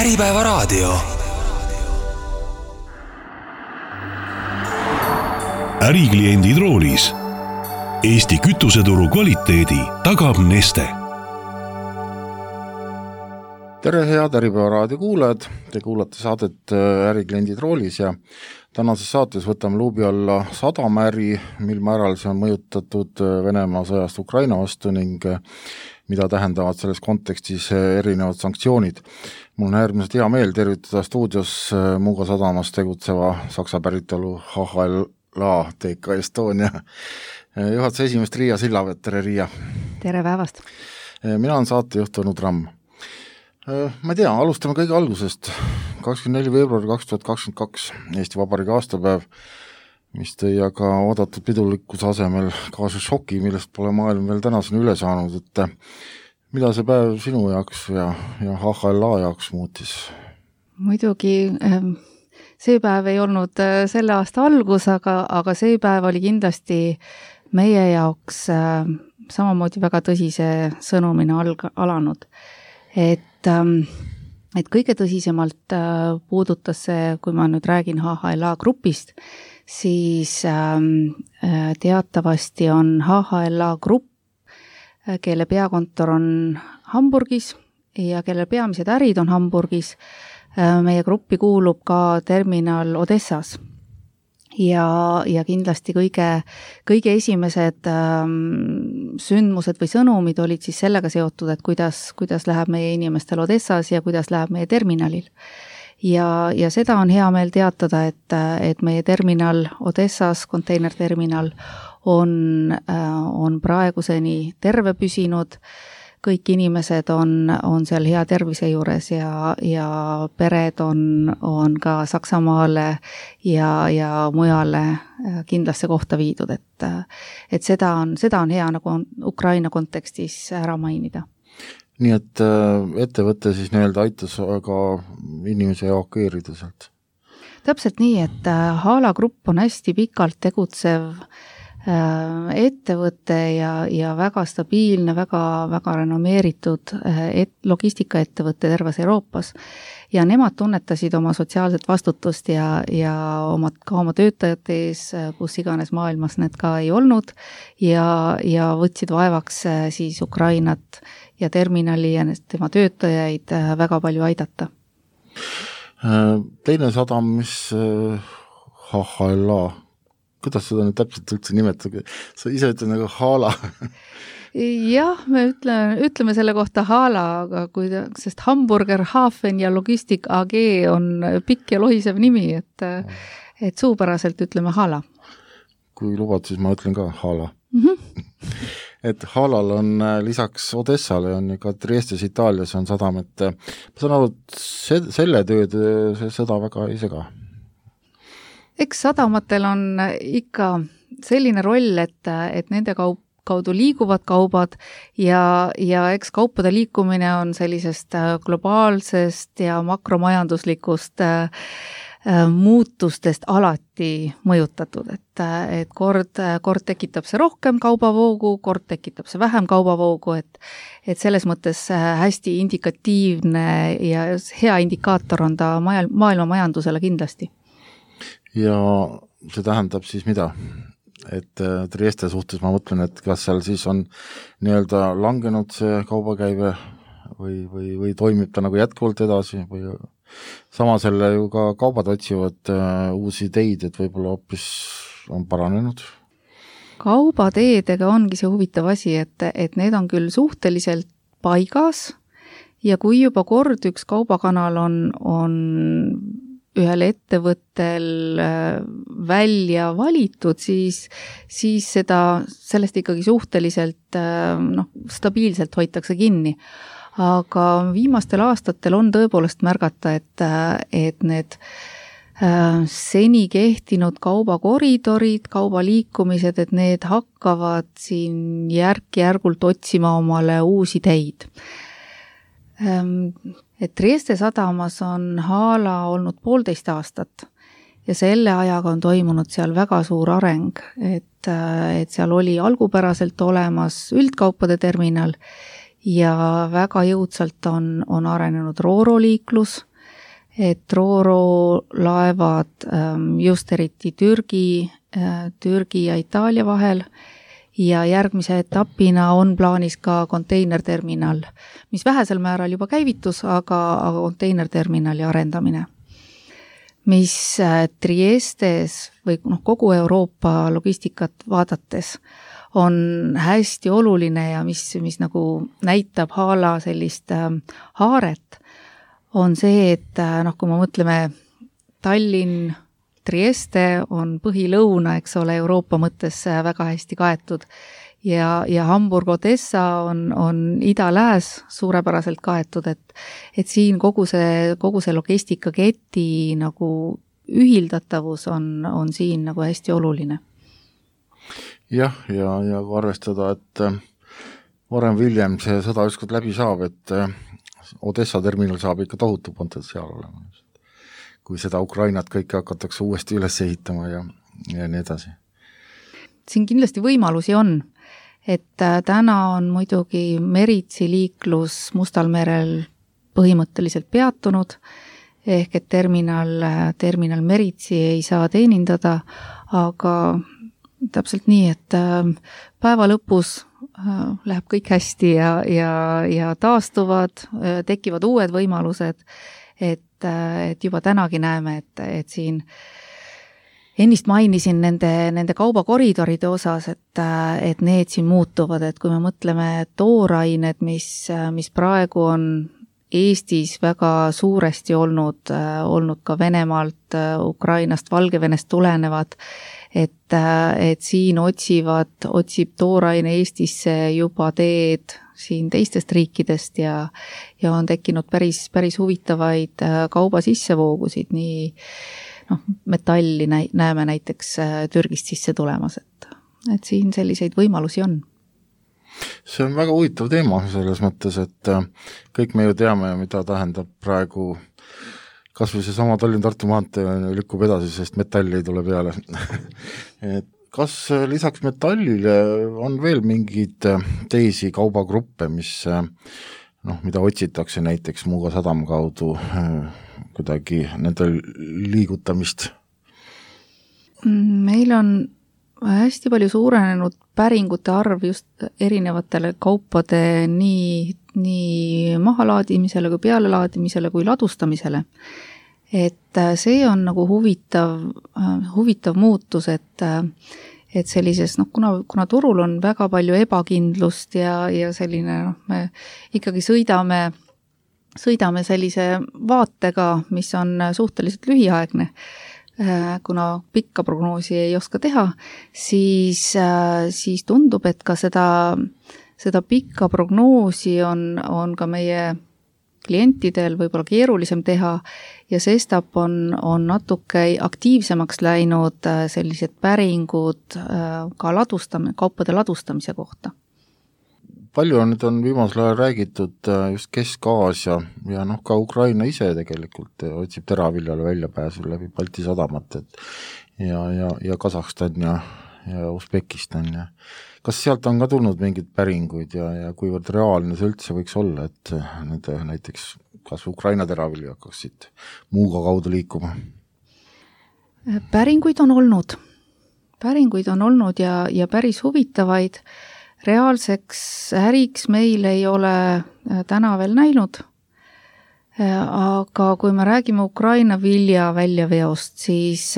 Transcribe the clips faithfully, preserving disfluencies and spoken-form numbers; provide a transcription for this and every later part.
Äripäevaraadio. Ärikliendid roolis. Eesti kütuseturu kvaliteedi tagab Neste. Tere head Äripäevaraadio kuulajad, te kuulate saadet Ärikliendid roolis ja tänases saates võtame luubi alla sadamäri, mil määral see on mõjutatud Venemaa sõjast Ukraina vastu ning mida tähendavad selles kontekstis erinevad sanktsioonid. Mul on äärmiselt hea meel tervitada stuudios Muuga sadamas tegutseva Saksa päritolu H H L A T K Estonia juhatuse esimest Riia Sillavet. Tere Riia! Tere päevast! Mina olen saatejuht Tõnu Tramm. Ma ei tea, alustame kõige algusest. kakskümmend neli veebruar kaks tuhat kakskümmend kaks Eesti Vabariigi aastapäev, mis tõi aga oodatud pidulikkuse asemel kaasa šoki, millest pole maailm veel tänaseni üle saanud, et mida see päev sinu jaoks ja, ja H H L A jaoks muutis? Muidugi see päev ei olnud selle aasta algus, aga, aga see päev oli kindlasti meie jaoks samamoodi väga tõsise sõnumina alg- alanud. Et, et kõige tõsisemalt puudutas see, kui ma nüüd räägin H H L A grupist, siis teatavasti on H H L A grupp, kelle peakontor on Hamburgis ja kelle peamised ärid on Hamburgis. Meie gruppi kuulub ka terminal Odessas ja, ja kindlasti kõige, kõige esimesed ähm, sündmused või sõnumid olid siis sellega seotud, et kuidas, kuidas läheb meie inimestel Odessas ja kuidas läheb meie terminalil. Ja, ja seda on hea meel teatada, et, et meie terminal Odessas, konteinerterminal, on, on praeguseni terve püsinud. Kõik inimesed on, on seal hea tervise juures ja, ja pered on, on ka Saksamaale ja, ja mujale kindlasse kohta viidud. Et, et seda, on, seda on hea nagu on Ukraina kontekstis ära mainida. Nii et ettevõte siis nii-öelda aitas aga inimese evakueerida sealt? Täpselt nii, et Hala Grupp on hästi pikalt tegutsev ettevõte ja, ja väga stabiilne, väga, väga renomeeritud et, logistikaettevõte terves Euroopas. Ja nemad tunnetasid oma sotsiaalset vastutust ja, ja oma, ka oma töötajate ees, kus iganes maailmas need ka ei olnud ja, ja võtsid vaevaks siis Ukrainat ja terminali ja tema töötajaid väga palju aidata. Teine sadam, mis H H L A, kuidas seda nüüd täpselt üldse nimetada? Sa ise ütled nagu Hala. Jah, me ütleme, ütleme selle kohta Hala, aga kui, sest Hamburger Hafen ja Logistik A G on pikk ja lohisev nimi, et, et suupäraselt ütleme Hala. Kui lubad, siis ma ütlen ka Hala. Mm-hmm. Et Halal on lisaks Odessale on ka Triestes Itaalias on sadam, et ma saan aru, et selle tööd see sõda väga ei sega. Eks sadamatel on ikka selline roll, et, et nende kaup, kaudu liiguvad kaubad ja, ja eks kaupade liikumine on sellisest globaalsest ja makromajanduslikust äh, muutustest alati mõjutatud, et, et kord, kord tekitab see rohkem kaubavoogu, kord tekitab see vähem kaubavoogu, et, et selles mõttes hästi indikatiivne ja hea indikaator on ta maailma majandusele kindlasti. Ja see tähendab siis mida? Et Trieste suhtes ma mõtlen, et kas seal siis on nii-öelda langenud see kaubakäive või, või, või toimib ta nagu jätkuvalt edasi või sama selle ju ka kaubad otsivad uh, uusi ideid, et võib-olla hoopis on paranenud? Kaubateedega ongi see huvitav asi, et, et need on küll suhteliselt paigas ja kui juba kord üks kaubakanal on, on ühel ettevõttel välja valitud, siis, siis seda, sellest ikkagi suhteliselt noh, stabiilselt hoitakse kinni. Aga viimastel aastatel on tõepoolest märgata, et, et need seni kehtinud kaubakoridorid, kaubaliikumised, et need hakkavad siin järk-järgult otsima omale uusi teid. Et Trieste sadamas on Hala olnud poolteist aastat ja selle ajaga on toimunud seal väga suur areng, et, et seal oli algupäraselt olemas üldkaupade terminal ja väga jõudsalt on, on arenenud rooroliiklus et Ro-Ro laevad just eriti Türgi, Türgi ja Itaalia vahel ja järgmise etapina on plaanis ka konteinerterminal, mis vähesel määral juba käivitus, aga, aga konteinerterminali arendamine, mis Triestes või noh, kogu Euroopa logistikat vaadates on hästi oluline ja mis, mis nagu näitab Haala sellist haaret, on see, et noh, kui me mõtleme Tallinn, Trieste on põhilõuna, eks ole, Euroopa mõttes väga hästi kaetud ja, ja Hamburg, Odessa on, on ida-lääs suurepäraselt kaetud, et, et siin kogu see, kogu see logistikaketi nagu ühildatavus on, on siin nagu hästi oluline. Jah, ja, ja kui arvestada, et varem William see sõda ükskord läbi saab, et Odessa terminal saab ikka tohutu potentsiaal olema. Kui seda Ukrainat kõike hakatakse uuesti üles ehitama ja, ja nii edasi. Siin kindlasti võimalusi on, et täna on muidugi meritsi liiklus Mustal merel põhimõtteliselt peatunud, ehk et terminal, terminal meritsi ei saa teenindada, aga täpselt nii, et päeva lõpus läheb kõik hästi ja, ja, ja taastuvad, tekivad uued võimalused, et et juba tänagi näeme, et, et siin ennist mainisin nende, nende kaubakoridoride osas, et, et need siin muutuvad, et kui me mõtleme toorained, mis, mis praegu on Eestis väga suuresti olnud, olnud ka Venemaalt, Ukrainast, Valgevenest tulenevad, et, et siin otsivad, otsib tooraine Eestisse juba teed siin teistest riikidest ja, ja on tekkinud päris, päris huvitavaid kauba sissevoogusid, nii noh, metalli näeme näiteks Türgist sisse tulemas, et, et siin selliseid võimalusi on. See on väga huvitav teema selles mõttes, et kõik me ju teame, mida tähendab praegu kas või see sama Tallinn-Tartu maantee lükkub edasi, sest metalli ei tule peale. et kas lisaks metallile on veel mingeid teisi kaubagruppe, mis, noh, mida otsitakse näiteks Muuga sadam kaudu kuidagi nende liigutamist? Meil on hästi palju suurenenud päringute arv just erinevatele kaupade nii, nii mahalaadimisele kui pealelaadimisele kui ladustamisele. Et see on nagu huvitav, huvitav muutus, et, et sellises, noh, kuna, kuna turul on väga palju ebakindlust ja, ja selline, noh, me ikkagi sõidame, sõidame sellise vaatega, mis on suhteliselt lühiaegne, kuna pikka prognoosi ei oska teha, siis, siis tundub, et ka seda, seda pikka prognoosi on, on ka meie klientidel võib-olla keerulisem teha ja sestap on, on natuke aktiivsemaks läinud sellised päringud ka ladustam- kaupade ladustamise kohta. Palju on nüüd on viimasel ajal räägitud just Kesk-Aasia ja noh, ka Ukraina ise tegelikult otsib teraviljale väljapääsu läbi Balti sadamat, et ja, ja, ja Kasahstan ja, ja Usbekistan ja kas sealt on ka tulnud mingid päringuid ja, ja kuivõrd reaalne see üldse võiks olla, et nende näiteks kas Ukraina teravilju hakkaksid Muuga kaudu liikuma? Päringuid on olnud. Päringuid on olnud ja, ja päris huvitavaid. Reaalseks äriks meil ei ole täna veel näinud. Aga kui me räägime Ukraina vilja väljaveost, siis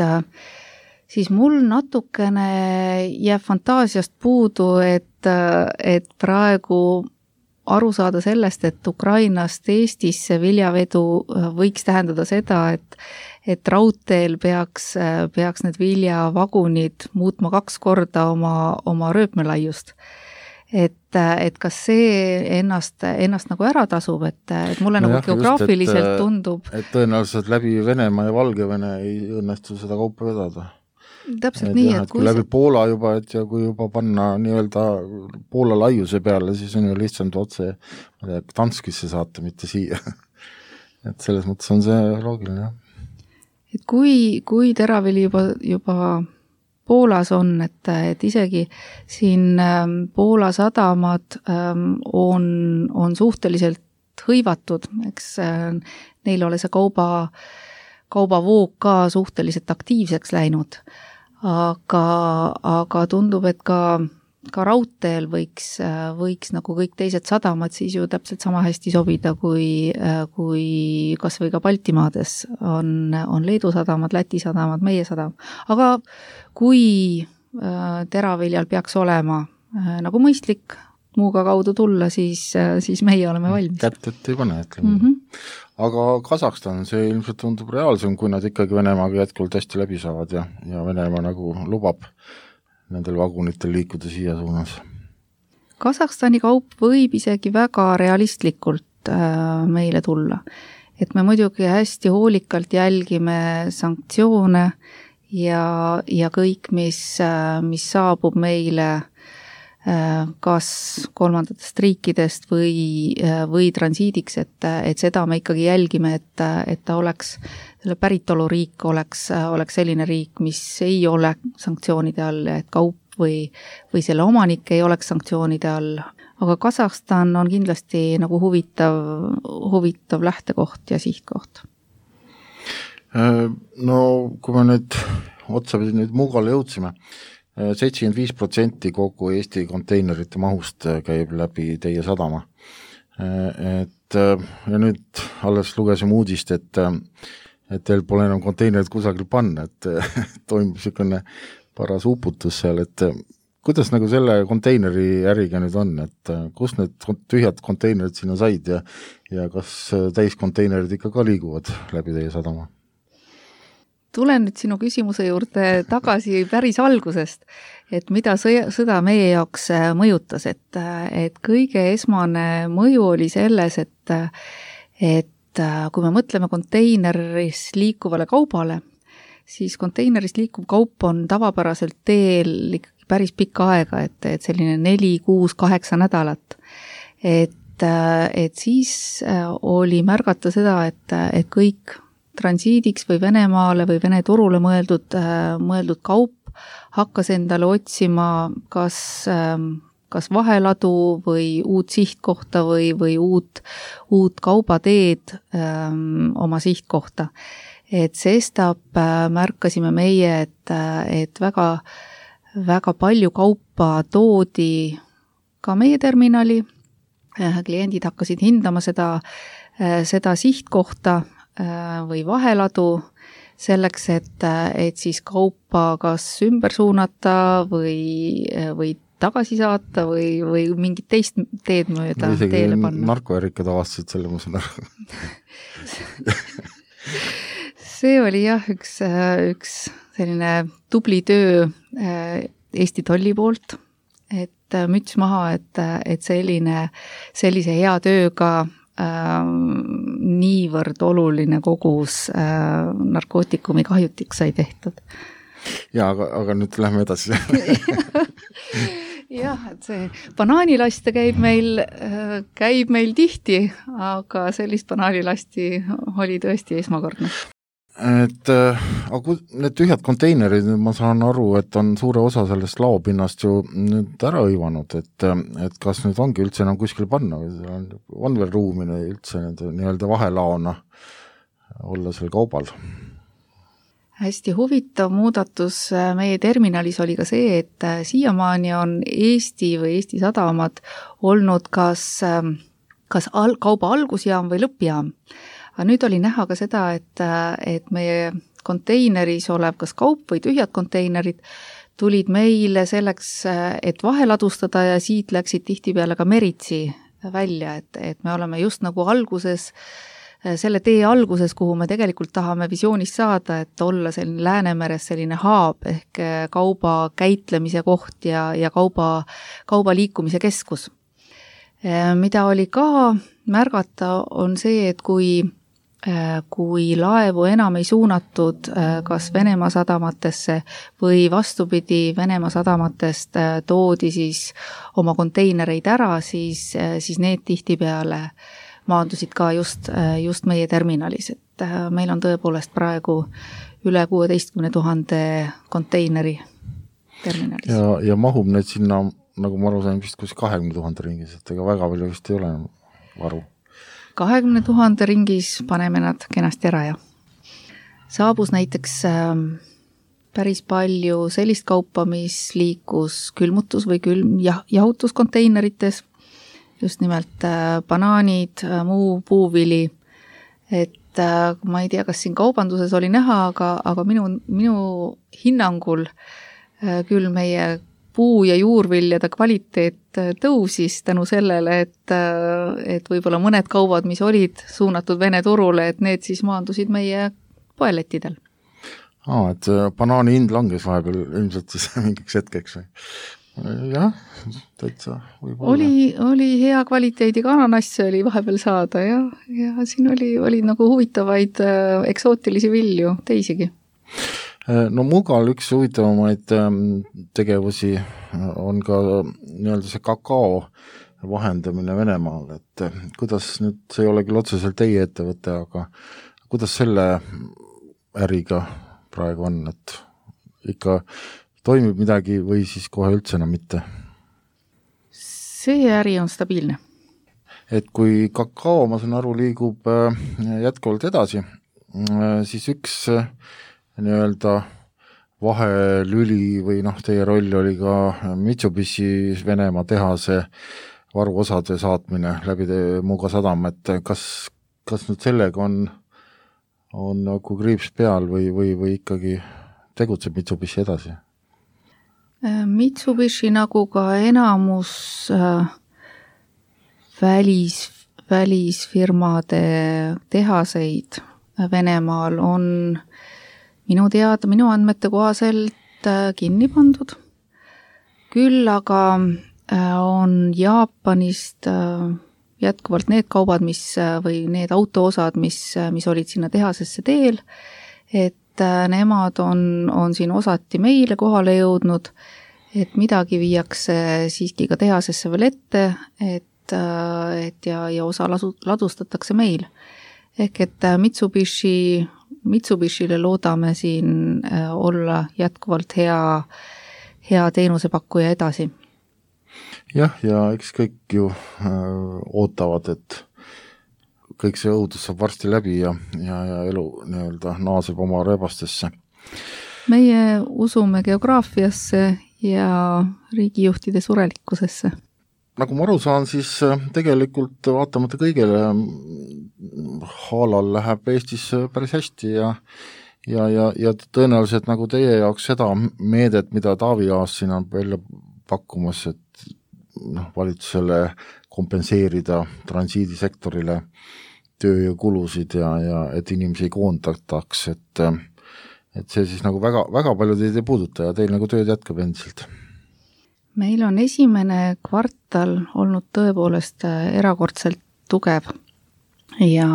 siis mul natukene jääb fantaasiast puudu, et, et praegu aru saada sellest, et Ukrainast Eestisse viljavedu võiks tähendada seda, et, et raudteel peaks, peaks need viljavagunid muutma kaks korda oma, oma rööpmelaiust. Et, et kas see ennast, ennast nagu ära tasub, et, et mulle no nagu jah, geograafiliselt just, et, tundub. Et tõenäoliselt läbi Venemaa ja Valgevene ei õnnestu seda kaupa vedada. Täpselt et nii, jah, et kui läbi Poola juba, et ja kui juba panna nii-öelda Poola laiuse peale, siis on ju lihtsalt otse Danskisse saata, mitte siia. et selles mõttes on see loogiline, jah. Et kui, kui teravili juba, juba Poolas on, et, et isegi siin Poola sadamad on, on suhteliselt hõivatud, eks neil ole see kauba, kaubavoog ka suhteliselt aktiivseks läinud, aga, aga tundub, et ka ka raudteel võiks, võiks nagu kõik teised sadamad siis ju täpselt sama hästi sobida, kui, kui kas või ka Baltimaades on, on Leedu sadamad, Läti sadamad, meie sadam. Aga kui teraviljal peaks olema nagu mõistlik muuga kaudu tulla, siis, siis meie oleme valmis. Kätt ei pane, ütleme. Mm -hmm. Aga Kasahstan, see ilmselt tundub reaalsem, kui nad ikkagi Venemaaga jätkuvalt hästi läbi saavad ja, ja Venemaa nagu lubab nendel vagunitel liikuda siia suunas. Kasahstani kaup võib isegi väga realistlikult äh, meile tulla. Et me muidugi hästi hoolikalt jälgime sanktsioone ja, ja kõik, mis, äh, mis saabub meile äh, kas kolmandatest riikidest või, äh, või transiidiks, et, et seda me ikkagi jälgime, et, et ta oleks selle päritoluriik oleks, oleks selline riik, mis ei ole sanktsioonide all, et kaup või, või selle omanik ei oleks sanktsioonide all. Aga Kasahstan on kindlasti nagu huvitav, huvitav lähtekoht ja sihtkoht. No kui me nüüd otsapidi nüüd Muugale jõudsime, seitsekümmend viis protsenti kogu Eesti konteinerite mahust käib läbi teie sadama. Et, ja nüüd alles lugesime uudist, et et teil pole enam konteinerid kusagil panna, et toimub niisugune paras uputus seal, et kuidas nagu selle konteineri äriga nüüd on, et kus need tühjad konteinerid sinna said ja, ja kas täiskonteinerid ikka ka liiguvad läbi teie sadama? Tulen nüüd sinu küsimuse juurde tagasi päris algusest, et mida sõda meie jaoks mõjutas, et, et kõige esmane mõju oli selles, et, et kui me mõtleme konteineris liikuvale kaubale, siis konteineris liikuv kaup on tavapäraselt teel ikkagi päris pikka aega, et, et selline neli, kuus, kaheksa nädalat. Et, et siis oli märgata seda, et, et kõik transiidiks või Venemaale või Vene turule mõeldud, mõeldud kaup hakkas endale otsima kas kas vaheladu või uut sihtkohta või, või uut, uut kaubateed ähm, oma sihtkohta. Et sestap äh, märkasime meie, et, et väga, väga palju kaupa toodi ka meie terminali. Äh, kliendid hakkasid hindama seda, äh, seda sihtkohta äh, või vaheladu selleks, et, et siis kaupa kas ümber suunata või, või tagasi saata või, või mingit teist teed mööda teele panna. Narkoärikad avastasid selle, ma saan aru. See oli jah, üks, üks selline tubli töö Eesti tolli poolt, et müts maha, et, et selline, sellise hea tööga äh, niivõrd oluline kogus äh, narkootikumi kahjutiks sai tehtud. Ja, aga, aga nüüd lähme edasi. Jah, et see banaanilaste käib meil, käib meil tihti, aga sellist banaanilasti oli tõesti esmakordne. Et aga need tühjad konteinerid, ma saan aru, et on suure osa sellest laopinnast ju nüüd ära hõivanud, et, et kas nüüd ongi üldse enam kuskil panna või on, on veel ruumine üldse nii-öelda vahelaona olla seal kaubal? Hästi huvitav muudatus meie terminalis oli ka see, et siiamaani on Eesti või Eesti sadamad olnud kas, kas al- kauba algusjaam või lõppjaam. Aga nüüd oli näha ka seda, et, et meie konteineris olev kas kaup või tühjad konteinerid tulid meile selleks, et vaheladustada ja siit läksid tihtipeale ka meritsi välja, et, et me oleme just nagu alguses selle tee alguses, kuhu me tegelikult tahame visioonist saada, et olla selline Läänemeres selline haab ehk kauba käitlemise koht ja, ja kauba, kauba liikumise keskus. Mida oli ka märgata, on see, et kui, kui laevu enam ei suunatud kas Venemaa sadamatesse või vastupidi Venemaa sadamatest toodi siis oma konteinereid ära, siis, siis need tihtipeale maandusid ka just, just meie terminalis, et meil on tõepoolest praegu üle kuueteistkümne tuhande konteineri terminalis. Ja, ja mahub need sinna, nagu ma aru sain, vist kus kahekümne tuhande ringis, et ega väga palju vist ei ole varu. kahekümne tuhande ringis paneme nad kenasti ära ja saabus näiteks äh, päris palju sellist kaupa, mis liikus külmutus- või külm- jah, jahutuskonteinerites, just nimelt äh, banaanid, äh, muu puuvili, et äh, ma ei tea, kas siin kaubanduses oli näha, aga, aga minu, minu hinnangul äh, küll meie puu- ja juurviljade kvaliteet tõusis tänu sellele, et, et võib-olla mõned kaubad, mis olid suunatud Vene turule, et need siis maandusid meie poelettidel. Aa, et banaani hind langes vahepeal ilmselt siis mingiks hetkeks või? Jah, täitsa võib-olla. Oli, oli hea kvaliteediga ananasse oli vahepeal saada ja, ja siin oli, oli nagu huvitavaid äh, eksootilisi vilju teisigi. No Mugal üks huvitavamaid tegevusi on ka nii-öelda see kakao vahendamine Venemaal, et kuidas nüüd, see ei ole küll otseselt teie ettevõte, aga kuidas selle äriga praegu on, et ikka toimib midagi või siis kohe üldse enam mitte? See äri on stabiilne. Et kui kakao, ma saan aru, liigub jätkuvalt edasi, siis üks nii-öelda vahelüli või noh, teie roll oli ka Mitsubishi Venemaa tehase varuosade saatmine läbi Muuga sadam, et kas, kas nüüd sellega on, on nagu kriips peal või, või, või ikkagi tegutseb Mitsubishi edasi? Mitsubishi nagu ka enamus äh, välis, välisfirmade tehaseid Venemaal on minu teada, minu andmete kohaselt kinni pandud. Küll aga on Jaapanist jätkuvalt need kaubad, mis, või need autoosad, mis, mis olid sinna tehasesse teel, et nemad on, on siin osati meile kohale jõudnud, et midagi viiakse siiski ka tehasesse veel ette, et, et ja, ja osa lasu, ladustatakse meil. Ehk et Mitsubishi Mitsubishile loodame siin olla jätkuvalt hea, hea teenusepakkuja edasi. Jah, ja eks kõik ju äh, ootavad, et kõik see õudus saab varsti läbi ja, ja, ja elu nii-öelda naaseb oma rebastesse. Meie usume geograafiasse ja riigijuhtide surelikkusesse. Nagu ma aru saan, siis tegelikult vaatamata kõigele Haalal läheb Eestis päris hästi ja, ja, ja, ja tõenäoliselt nagu teie jaoks seda meedet, mida Taavi Aas siin on välja pakkumas, et noh, valitsusele kompenseerida transiidisektorile tööjõukulusid ja, ja et inimesi ei koondataks, et, et see siis nagu väga, väga palju teid ei puuduta ja teil nagu tööd jätkab endiselt. Meil on esimene kvartal olnud tõepoolest erakordselt tugev ja,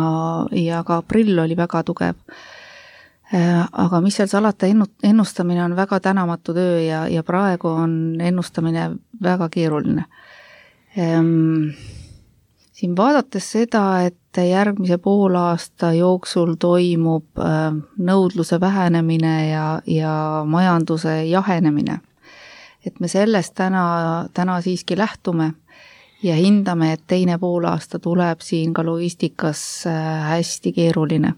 ja ka aprill oli väga tugev. Aga mis seal salata, ennustamine on väga tänamatu töö ja, ja praegu on ennustamine väga keeruline. Siin vaadates seda, et järgmise poolaasta jooksul toimub nõudluse vähenemine ja, ja majanduse jahenemine, et me sellest täna, täna siiski lähtume ja hindame, et teine poolaasta tuleb siin ka logistikas hästi keeruline.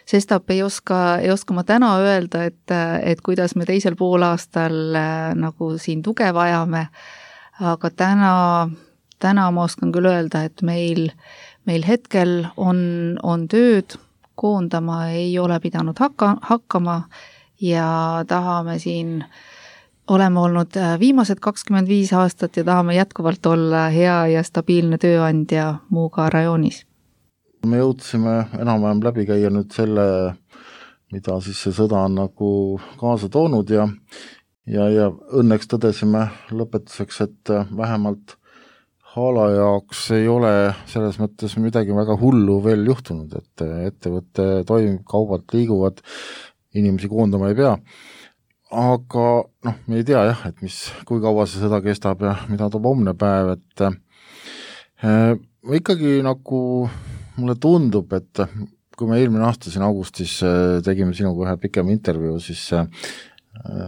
Sestap ei oska, ei oska ma täna öelda, et, et kuidas me teisel poolaastal nagu siin tuge vajame, aga täna, täna ma oskan küll öelda, et meil, meil hetkel on, on tööd, koondama ei ole pidanud hakka, hakkama ja tahame siin oleme olnud viimased kakskümmend viis aastat ja tahame jätkuvalt olla hea ja stabiilne tööandja Muuga rajoonis. Me jõudsime enam-vähem läbi käia nüüd selle, mida siis see sõda on nagu kaasa toonud ja, ja, ja õnneks tõdesime lõpetuseks, et vähemalt Haala jaoks ei ole selles mõttes midagi väga hullu veel juhtunud, et ettevõtte toimib, kaubad liiguvad, inimesi koondama ei pea. Aga noh, me ei tea jah, et mis, kui kaua see sõda kestab ja mida toob homne päev, et äh, ikkagi nagu mulle tundub, et kui me eelmine aasta siin augustis äh, tegime sinuga ühe pikem intervjuu, siis äh,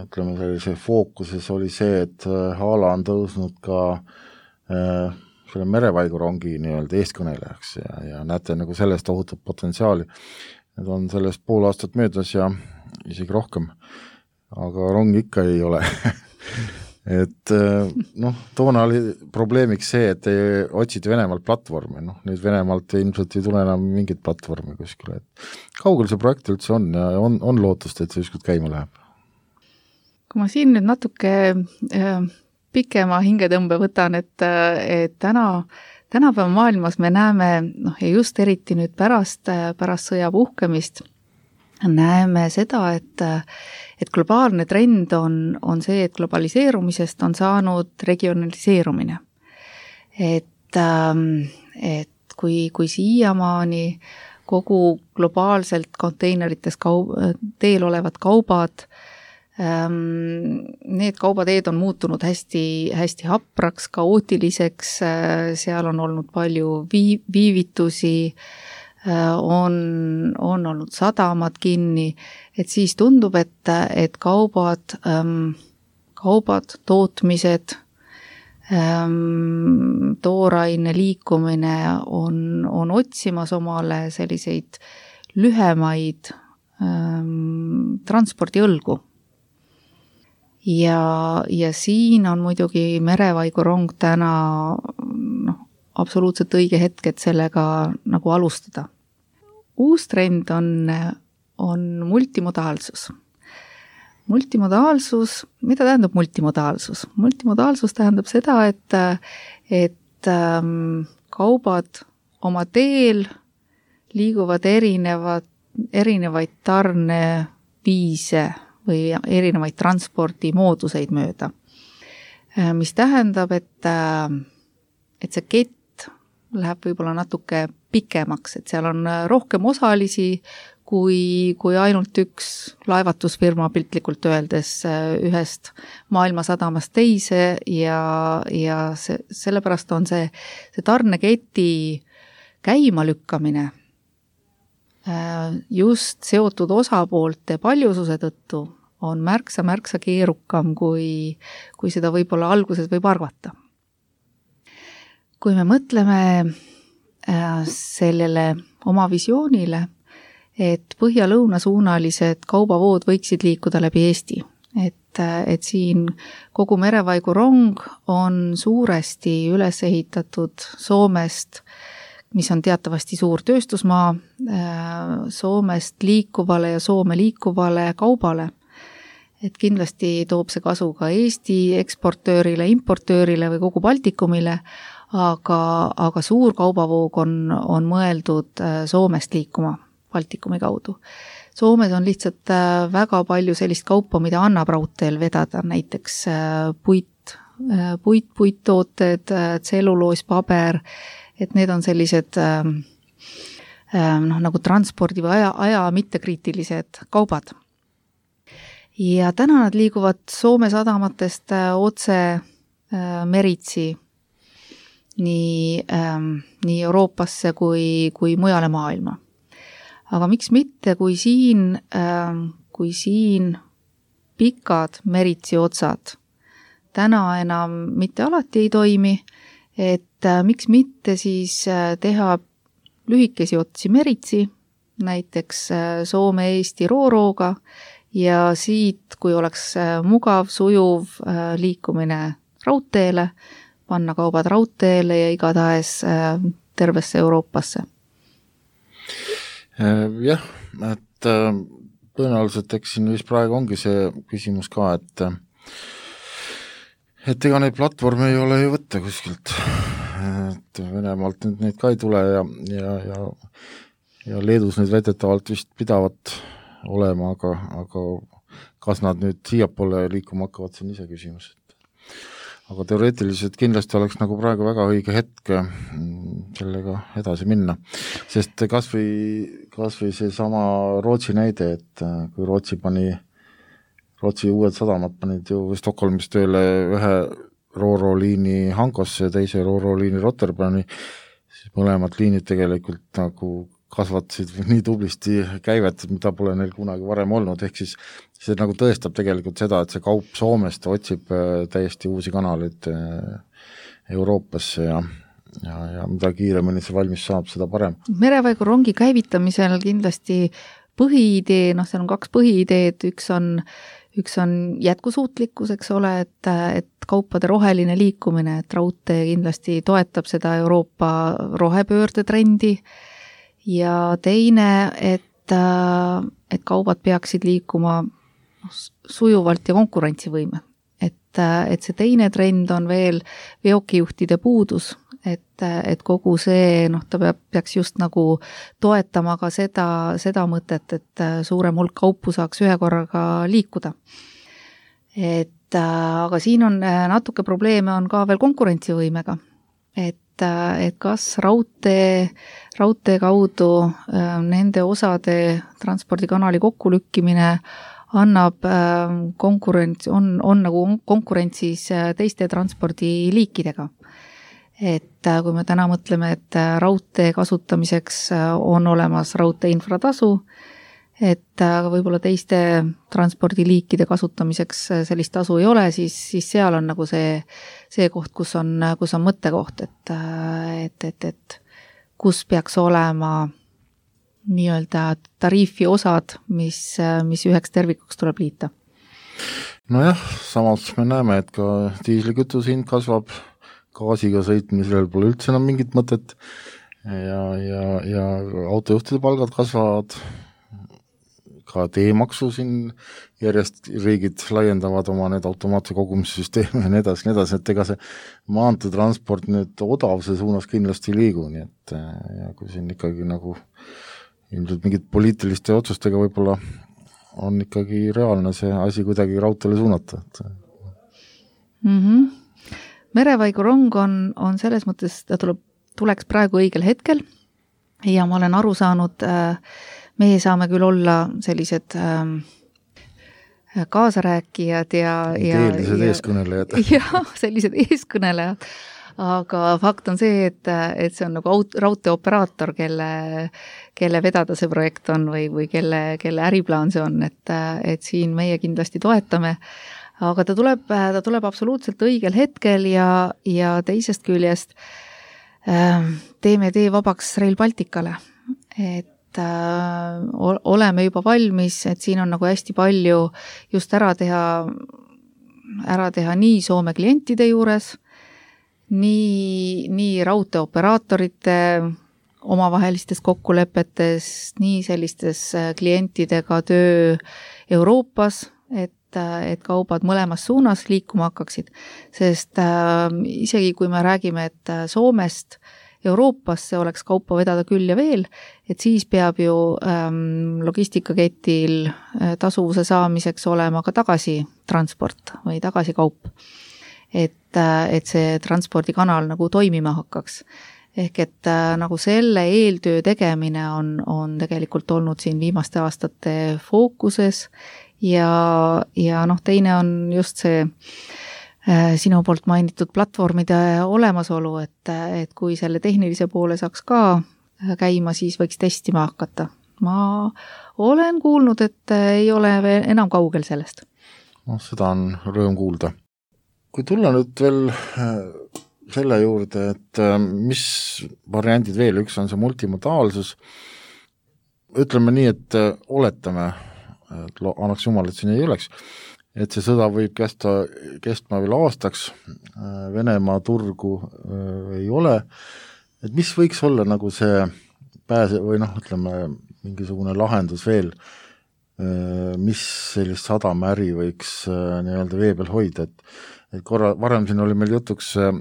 ütleme sellise fookuses oli see, et äh, Haala on tõusnud ka äh, selle merevaigurongi nii-öelda eestkõnelejaks ja, ja näete nagu sellest ohutut potentsiaali. Need on sellest pool aastat möödas ja isegi rohkem, aga rong ikka ei ole. et noh, toona oli probleemiks see, et ei otsid Venemaalt platvormi, noh, nüüd Venemaalt ilmselt ei tule enam mingit platvormi kuskile. Et kaugel see projekt üldse on ja on, on lootust, et see ükskord käima läheb? Kui ma siin nüüd natuke äh, pikema hingetõmbe võtan, et, et täna, tänapäeva maailmas me näeme, noh, ja just eriti nüüd pärast, pärast sõja puhkemist, näeme seda, et, et globaalne trend on, on see, et globaliseerumisest on saanud regionaliseerumine. Et, et kui, kui siiamaani kogu globaalselt konteinerites kaub, teel olevad kaubad, need kaubateed on muutunud hästi, hästi hapraks, kaootiliseks, seal on olnud palju vii, viivitusi, on, on olnud sadamad kinni, et siis tundub, et, et kaubad, kaubad, tootmised, tooraine liikumine on, on otsimas omale selliseid lühemaid transpordiõlgu. Ja, ja siin on muidugi merevaigurong täna noh, absoluutselt õige hetk, et sellega nagu alustada. Uus trend on, on multimodaalsus. Multimodaalsus, mida tähendab multimodaalsus? Multimodaalsus tähendab seda, et, et ähm, kaubad oma teel liiguvad erinevad, erinevaid tarneviise või erinevaid transpordimooduseid mööda. Mis tähendab, et, et see kett läheb võib-olla natuke pikemaks, et seal on rohkem osalisi kui, kui ainult üks laevatusfirma piltlikult öeldes ühest maailmasadamast teise ja, ja see, sellepärast on see, see tarneketi käimalükkamine just seotud osapoolte paljususe tõttu on märksa, märksa keerukam, kui, kui seda võib-olla alguses võib arvata. Kui me mõtleme sellele oma visioonile, et põhja-lõunasuunalised kaubavood võiksid liikuda läbi Eesti, et, et siin kogu merevaigurong on suuresti üles ehitatud Soomest, mis on teatavasti suur tööstusmaa, Soomest liikuvale ja Soome liikuvale kaubale. Et kindlasti toob see kasu ka Eesti eksportöörile, importöörile või kogu Baltikumile, aga, aga suur kaubavoog on, on mõeldud Soomest liikuma Baltikumi kaudu. Soomes on lihtsalt väga palju sellist kaupa, mida annab raudteel vedada, näiteks puit, puit, puittooted, tselluloos, paber, et need on sellised ähm, noh, nagu transpordi või aja, aja mittekriitilised kaubad. Ja täna nad liiguvad Soome sadamatest otse äh, meritsi nii, ähm, nii Euroopasse kui, kui mujale maailma. Aga miks mitte, kui siin, ähm, kui siin pikad meritsi otsad täna enam mitte alati ei toimi, et äh, miks mitte siis äh, teha lühikesi otsi meritsi, näiteks äh, Soome-Eesti Roorooga ja siit, kui oleks äh, mugav, sujuv äh, liikumine raudteele, panna kaubad raudteele ja igatahes äh, tervesse Euroopasse. Jah, et äh, tõenäoliselt eks siin vist praegu ongi see küsimus ka, et et ega neid platvorme ei ole ju võtta kuskilt, et Venemaalt nüüd neid ka ei tule ja, ja, ja, ja Leedus neid väidetavalt vist pidavat olema, aga, aga kas nad nüüd siiapoole liikuma hakkavad, see on ise küsimus. Aga teoreetiliselt kindlasti oleks nagu praegu väga õige hetk sellega edasi minna, sest kas või, kas või see sama Rootsi näide, et kui Rootsi pani Rootsi uued sadamad panid ju Stockholmis tööle ühe Rooroo-liini Hankosse ja teise Rooroo-liini Rotterdami, siis mõlemad liinid tegelikult nagu kasvatasid nii tublisti käivet, mida pole neil kunagi varem olnud, ehk siis see nagu tõestab tegelikult seda, et see kaup Soomest otsib täiesti uusi kanaleid Euroopasse ja, ja, ja mida kiiremini see valmis saab, seda parem. Merevaigu-rongi käivitamisel kindlasti põhiidee, noh, seal on kaks põhiideed, üks on, üks on jätkusuutlikkus, eks ole, et, et kaupade roheline liikumine, et raudtee kindlasti toetab seda Euroopa rohepöörde trendi ja teine, et, et kaubad peaksid liikuma sujuvalt ja konkurentsivõime. Et, et see teine trend on veel veokijuhtide puudus, et, et kogu see, noh, ta peab, peaks just nagu toetama ka seda, seda mõtet, et suurem hulk kaupu saaks ühe korraga liikuda. Et aga siin on natuke probleeme on ka veel konkurentsivõimega, et, et kas raudtee, raudtee kaudu nende osade transpordikanali kokkulükkimine annab konkurents, on, on nagu konkurentsis teiste transpordiliikidega. Et kui me täna mõtleme, et raudtee kasutamiseks on olemas raudtee infratasu, et võib-olla teiste transpordiliikide kasutamiseks sellist tasu ei ole, siis, siis seal on nagu see, see koht, kus on, kus on mõttekoht, et, et, et, et kus peaks olema nii-öelda tariifi osad, mis, mis üheks tervikuks tuleb liita. Nojah, samas me näeme, et ka diislikütuse hind kasvab, gaasiga sõitmisel pole üldse enam mingit mõtet ja, ja, ja autojuhtide palgad kasvavad, ka teemaksu siin järjest riigid laiendavad oma need automaatse kogumissüsteemi ja nii edasi, nii edasi, et ega see maanteetransport nüüd odavuse suunas kindlasti ei liigu, nii et ja kui siin ikkagi nagu ilmselt mingid poliitiliste otsustega võib-olla on ikkagi reaalne see asi kuidagi raudteele suunata. Mm-hmm. Merevaigu-rong on, on selles mõttes, ta tuleb, tuleks praegu õigel hetkel ja ma olen aru saanud, meie saame küll olla sellised kaasarääkijad ja, ja, eelised eeskõnelejad. Ja, sellised eeskõnelejad. Aga fakt on see, et, et see on nagu raudteeoperaator, kelle, kelle vedada see projekt on või, või kelle, kelle äriplaan see on, et, et siin meie kindlasti toetame. Aga ta tuleb, ta tuleb absoluutselt õigel hetkel ja, ja teisest küljest teeme tee vabaks Rail Balticale. Et oleme juba valmis, et siin on nagu hästi palju just ära teha, ära teha nii Soome klientide juures, nii, nii raudteeoperaatorite omavahelistes kokkulepetes, nii sellistes klientidega töö Euroopas, et, et kaubad mõlemas suunas liikuma hakkaksid. Sest äh, isegi kui me räägime, et Soomest Euroopasse oleks kaupa vedada küll ja veel, et siis peab ju ähm, logistikaketil tasuvuse saamiseks olema ka tagasi transport või tagasi kaup. Et, et see transpordikanal nagu toimima hakkaks. Ehk et nagu selle eeltöö tegemine on, on tegelikult olnud siin viimaste aastate fookuses ja, ja noh, teine on just see äh, sinu poolt mainitud platvormide olemasolu, et, et kui selle tehnilise poole saaks ka käima, siis võiks testima hakata. Ma olen kuulnud, et ei ole veel enam kaugel sellest. No, seda on rõõm kuulda. Kui tulla nüüd veel selle juurde, et mis variandid veel, üks on see multimodaalsus, ütleme nii, et oletame, et annaks jumal, et siin ei oleks, et see sõda võib kesta, kestma veel aastaks, Venemaa turgu ei ole, et mis võiks olla nagu see pääse või noh, ütleme mingisugune lahendus veel, mis sellist sadamäri võiks nii-öelda vee peal hoida, et et korra, varem siin oli meil jutuks äh,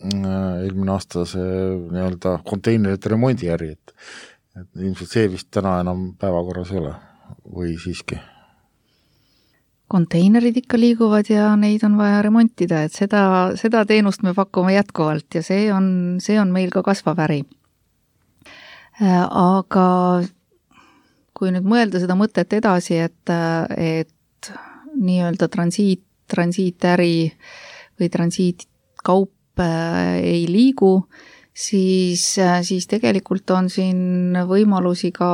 eelmine aasta see nii-öelda konteinerite remondiäri, et, et ilmselt see vist täna enam päevakorras ei ole või siiski? Konteinerid ikka liiguvad ja neid on vaja remontida, et seda, seda teenust me pakume jätkuvalt ja see on, see on meil ka kasvav äri. Aga kui nüüd mõelda seda mõtet edasi, et, et nii-öelda transiit transiitäri või transiitkaup ei liigu, siis, siis tegelikult on siin võimalusi ka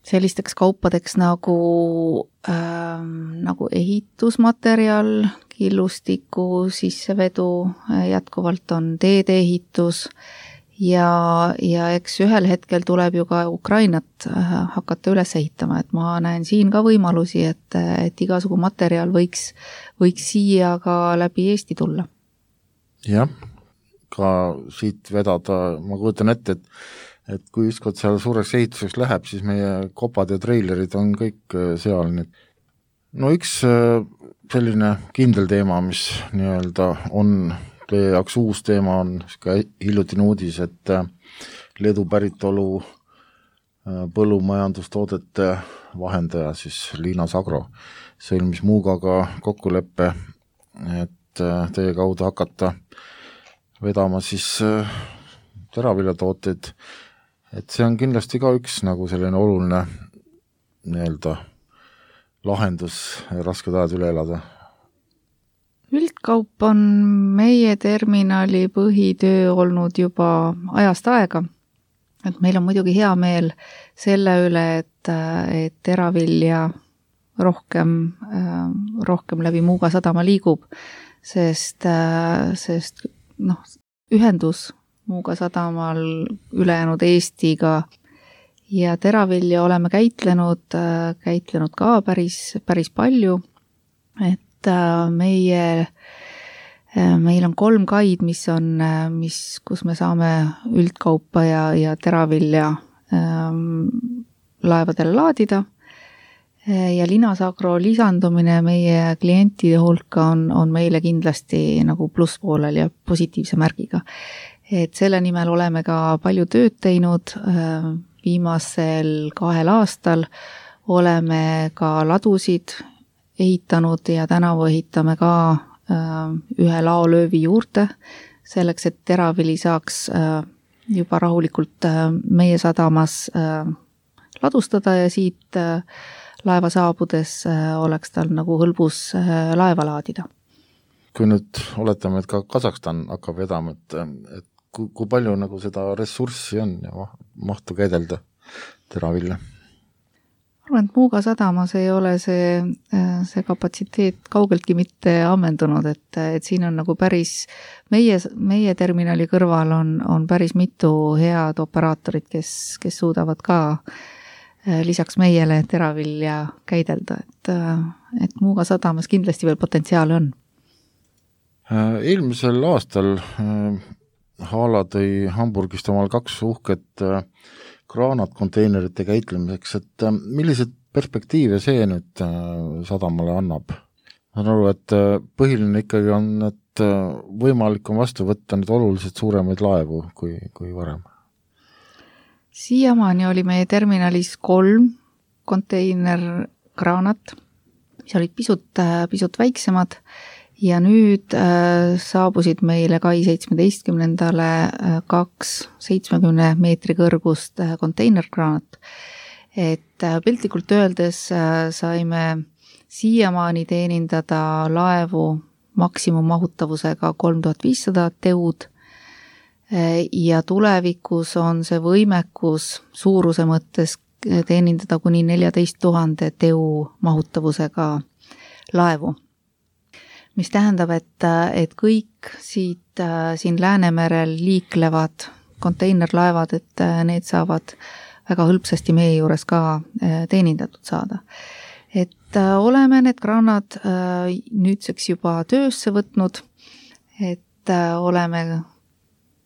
sellisteks kaupadeks nagu, äh, nagu ehitusmaterjal, illustiku sissevedu, jätkuvalt on teedeehitus ja, ja eks ühel hetkel tuleb ju ka Ukrainat hakata üles ehitama, et ma näen siin ka võimalusi, et, et igasugu materjal võiks, võiks siia ka läbi Eesti tulla. Jah, ka siit vedada, ma kujutan ette, et et kui ükskord seal suureks ehituseks läheb, siis meie kopad ja treilerid on kõik seal. No üks selline kindel teema, mis nii-öelda on teie jaoks uus teema, on ka hiljutine uudis, et Leedu päritolu põllumajandustoodete vahendaja, siis Linas Agro, sõlmis Muugaga kokkuleppe, et teie kaudu hakata vedama siis teraviljatooteid. Et see on kindlasti ka üks nagu selline oluline nii-öelda lahendus rasked ajad üle elada. Üldkaup on meie terminali põhitöö olnud juba ajast aega. Et meil on muidugi hea meel selle üle, et, et teravilja rohkem, rohkem läbi Muuga sadama liigub, sest, sest noh, ühendus Muuga sadamal ülejäänud Eestiga ja teravilja oleme käitlenud, käitlenud ka päris, päris palju, et meie, meil on kolm kaid, mis on, mis, kus me saame üldkaupa ja, ja teravilja ähm, laevadele laadida ja Linas Agro lisandumine meie klientide hulka on, on meile kindlasti nagu plusspoolel ja positiivse märgiga. Et selle nimel oleme ka palju tööd teinud, viimasel kahel aastal oleme ka ladusid ehitanud ja tänavu ehitame ka ühe laolöövi juurde, selleks, et teravili saaks juba rahulikult meie sadamas ladustada ja siit laeva saabudes oleks tal nagu hõlbus laeva laadida. Kui nüüd oletame, et ka Kazakstan hakkab vedama, et, et kui, kui palju nagu seda ressurssi on ja mahtu käidelda teravilja? Arvan, et Muuga sadamas ei ole see, see kapatsiteet kaugeltki mitte ammendunud, et, et siin on nagu päris, meie, meie terminali kõrval on, on päris mitu head operaatorit, kes, kes suudavad ka lisaks meiele teravilja käidelda, et, et Muuga sadamas kindlasti veel potentsiaal on. Eelmisel aastal Haala tõi Hamburgist omal kaks uhket kraanatkonteinerite käitlemiseks, et millised perspektiive see nüüd sadamale annab? Ma saan aru, et põhiline ikkagi on, et võimalik on vastu võtta nüüd oluliselt suuremaid laevu kui, kui varem. Siiamaani oli meie terminalis kolm konteinerkraanat, mis olid pisut, pisut väiksemad ja nüüd äh, saabusid meile kai seitsmeteistkümnendale äh, kaks seitsmekümne meetri kõrgust äh, konteinerkraanat. Et äh, piltlikult öeldes äh, saime siiamaani teenindada laevu maksimummahutavusega kolm tuhat viissada teud äh, ja tulevikus on see võimekus suuruse mõttes teenindada kuni neljateist tuhande teu mahutavusega laevu. Mis tähendab, et, et kõik siit siin Läänemerel liiklevad konteinerlaevad, et need saavad väga hõlpsasti meie juures ka teenindatud saada. Et oleme need kraanad nüüdseks juba töösse võtnud, et oleme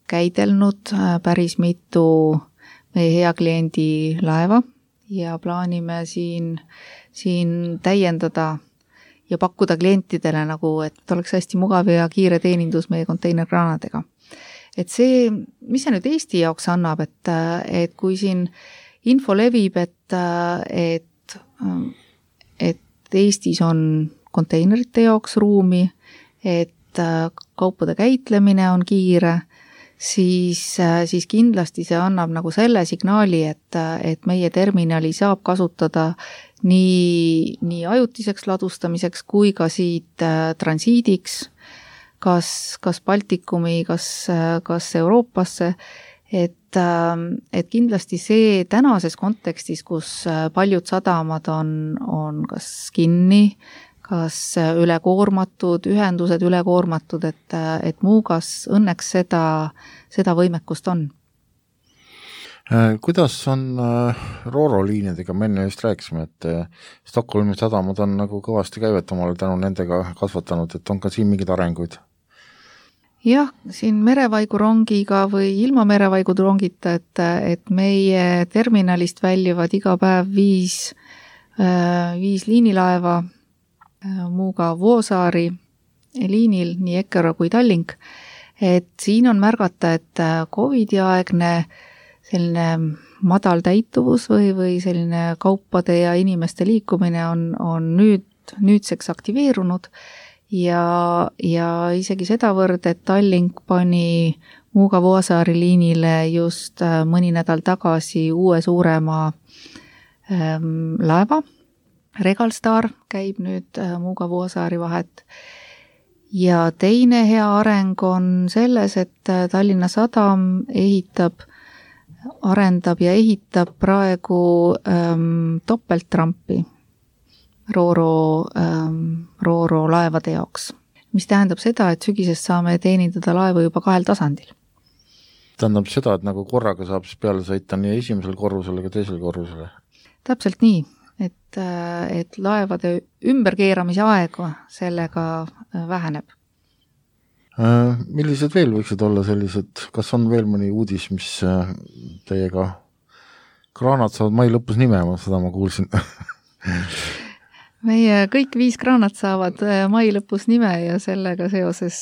käidelnud päris mitu meie hea kliendi laeva ja plaanime siin, siin täiendada ja pakkuda klientidele nagu, et oleks hästi mugav ja kiire teenindus meie konteinerkraanadega. Et see, mis see nüüd Eesti jaoks annab, et, et kui siin info levib, et, et, et Eestis on konteinerite jaoks ruumi, et kaupade käitlemine on kiire, siis, siis kindlasti see annab nagu selle signaali, et, et meie terminali saab kasutada nii, nii ajutiseks ladustamiseks kui ka siit transiidiks, kas, kas Baltikumi, kas, kas Euroopasse, et, et kindlasti see tänases kontekstis, kus paljud sadamad on, on kas kinni, kas ülekoormatud, ühendused ülekoormatud, et, et Muugas õnneks seda, seda võimekust on. Kuidas on Ro-Ro liinidega, me enne just rääkisime, et Stockholmi sadamad on nagu kõvasti käivet omale tänu nendega kasvatanud, et on ka siin mingid arenguid? Jah, siin merevaigurongiga või ilma merevaigurongita, et, et meie terminalist väljuvad iga päev viis, viis liinilaeva Muuga Vuosaari liinil, nii Eckerö kui Tallink. Et siin on märgata, et Covidi aegne selline madal täituvus või, või selline kaupade ja inimeste liikumine on, on nüüd, nüüdseks aktiveerunud. Ja, ja isegi sedavõrd, et Tallink pani Muuga Vuosaari liinile just mõni nädal tagasi uue suurema ähm, laeva. Regalstar käib nüüd Muuga Vuosaari vahet. Ja teine hea areng on selles, et Tallinna Sadam ehitab, arendab ja ehitab praegu ähm, topelttrampi Ro-Ro, ähm, Ro-Ro laevade jaoks, mis tähendab seda, et sügisest saame teenindada laevu juba kahel tasandil. Tähendab seda, et nagu korraga saab peale sõita nii esimesel korrusel kui teisel korrusel? Täpselt nii, et, et laevade ümberkeeramise aega sellega väheneb. Millised veel võiksid olla sellised, kas on veel mõni uudis, mis teiega kraanad saavad mai lõpus nimema, seda ma kuulsin? Meie kõik viis kraanat saavad mai lõpus nime ja sellega seoses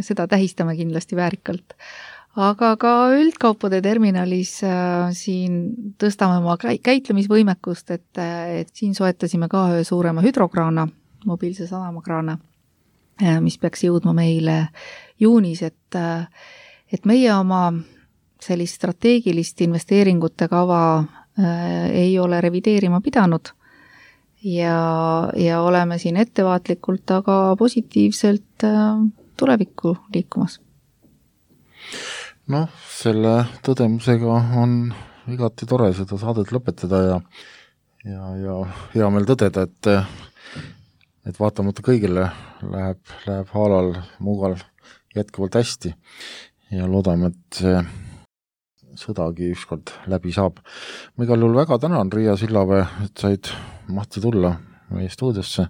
seda tähistame kindlasti väärikalt. Aga ka üldkaupade terminalis siin tõstame oma käitlemisvõimekust, et, et siin soetasime ka ühe suurema hüdrokraana, mobiilse sadamakraana, mis peaks jõudma meile juunis, et, et meie oma sellist strateegilist investeeringute kava ei ole revideerima pidanud. Ja, ja oleme siin ettevaatlikult, aga positiivselt tulevikku liikumas. Noh, selle tõdemusega on igati tore seda saadet lõpetada ja, ja, ja hea meel tõdeda, et, et vaatamata kõigile läheb, läheb Haalal, Muugal jätkuvalt hästi ja loodame, et see sõdagi ükskord läbi saab. Ma igal juhul väga tänan, Riia Sillavee, et said mahti tulla meie stuudiosse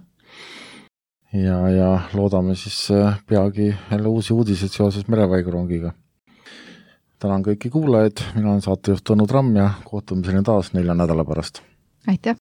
ja, ja loodame siis peagi jälle uusi uudiseid seoses merevaigurongiga. Tänan kõiki kuulajaid, mina olen saatejuht Tõnu Tramm ja kohtumiseni taas nelja nädala pärast. Aitäh!